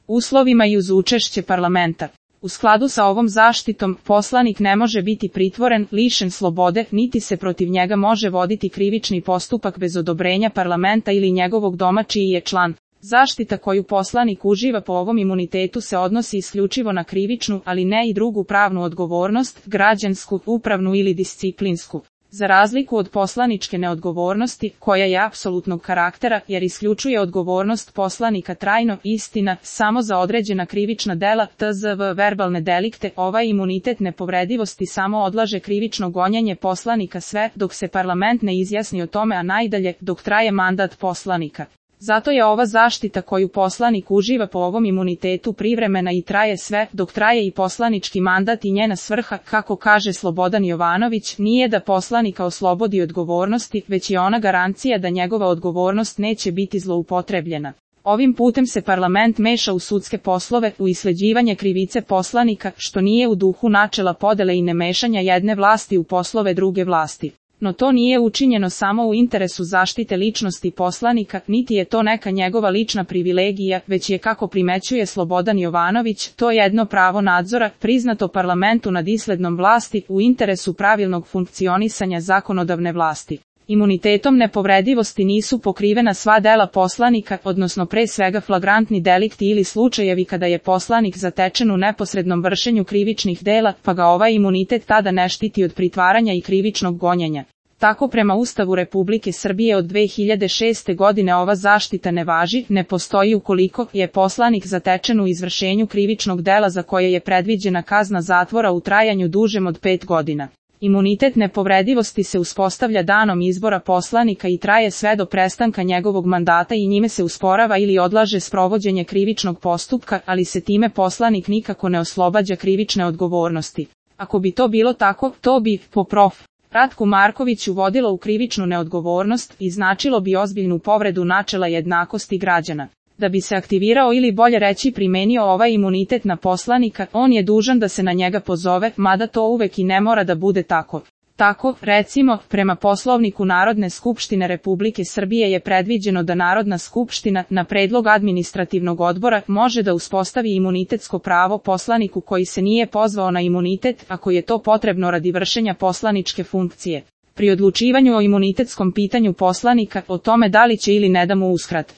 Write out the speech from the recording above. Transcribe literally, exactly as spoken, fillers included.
uslovima i uz učešće parlamenta. U skladu sa ovom zaštitom, poslanik ne može biti pritvoren, lišen slobode, niti se protiv njega može voditi krivični postupak bez odobrenja parlamenta ili njegovog doma čiji je član. Zaštita koju poslanik uživa po ovom imunitetu se odnosi isključivo na krivičnu, ali ne i drugu pravnu odgovornost, građansku, upravnu ili disciplinsku. Za razliku od poslaničke neodgovornosti, koja je apsolutnog karaktera jer isključuje odgovornost poslanika trajno, istina, samo za određena krivična dela, tzv. verbalne delikte, ovaj imunitet nepovredivosti samo odlaže krivično gonjenje poslanika sve dok se parlament ne izjasni o tome, a najdalje dok traje mandat poslanika. Zato je ova zaštita koju poslanik uživa po ovom imunitetu privremena i traje sve dok traje i poslanički mandat i njena svrha, kako kaže Slobodan Jovanović, nije da poslanika oslobodi odgovornosti, već je ona garancija da njegova odgovornost neće biti zloupotrebljena. Ovim putem se parlament meša u sudske poslove, u isleđivanje krivice poslanika, što nije u duhu načela podele i nemešanja jedne vlasti u poslove druge vlasti. No to nije učinjeno samo u interesu zaštite ličnosti poslanika, niti je to neka njegova lična privilegija, već je, kako primećuje Slobodan Jovanović, to jedno pravo nadzora, priznato parlamentu nad islednom vlasti, u interesu pravilnog funkcionisanja zakonodavne vlasti. Imunitetom nepovredivosti nisu pokrivena sva dela poslanika, odnosno pre svega flagrantni delikti ili slučajevi kada je poslanik zatečen u neposrednom vršenju krivičnih dela, pa ga ovaj imunitet tada ne štiti od pritvaranja i krivičnog gonjenja. Tako prema Ustavu Republike Srbije od dve hiljade šeste godine ova zaštita ne važi, ne postoji ukoliko je poslanik zatečen u izvršenju krivičnog dela za koje je predviđena kazna zatvora u trajanju dužem od pet godina. Imunitet nepovredivosti se uspostavlja danom izbora poslanika i traje sve do prestanka njegovog mandata i njime se usporava ili odlaže sprovođenje krivičnog postupka, ali se time poslanik nikako ne oslobađa krivične odgovornosti. Ako bi to bilo tako, to bi, po prof. Ratku Markoviću, vodilo u krivičnu neodgovornost i značilo bi ozbiljnu povredu načela jednakosti građana. Da bi se aktivirao ili bolje reći primenio ovaj imunitet na poslanika, on je dužan da se na njega pozove, mada to uvek i ne mora da bude tako. Tako, recimo, prema Poslovniku Narodne skupštine Republike Srbije je predviđeno da Narodna skupština, na predlog administrativnog odbora, može da uspostavi imunitetsko pravo poslaniku koji se nije pozvao na imunitet, ako je to potrebno radi vršenja poslaničke funkcije. Pri odlučivanju o imunitetskom pitanju poslanika, o tome da li će ili ne da mu uskrat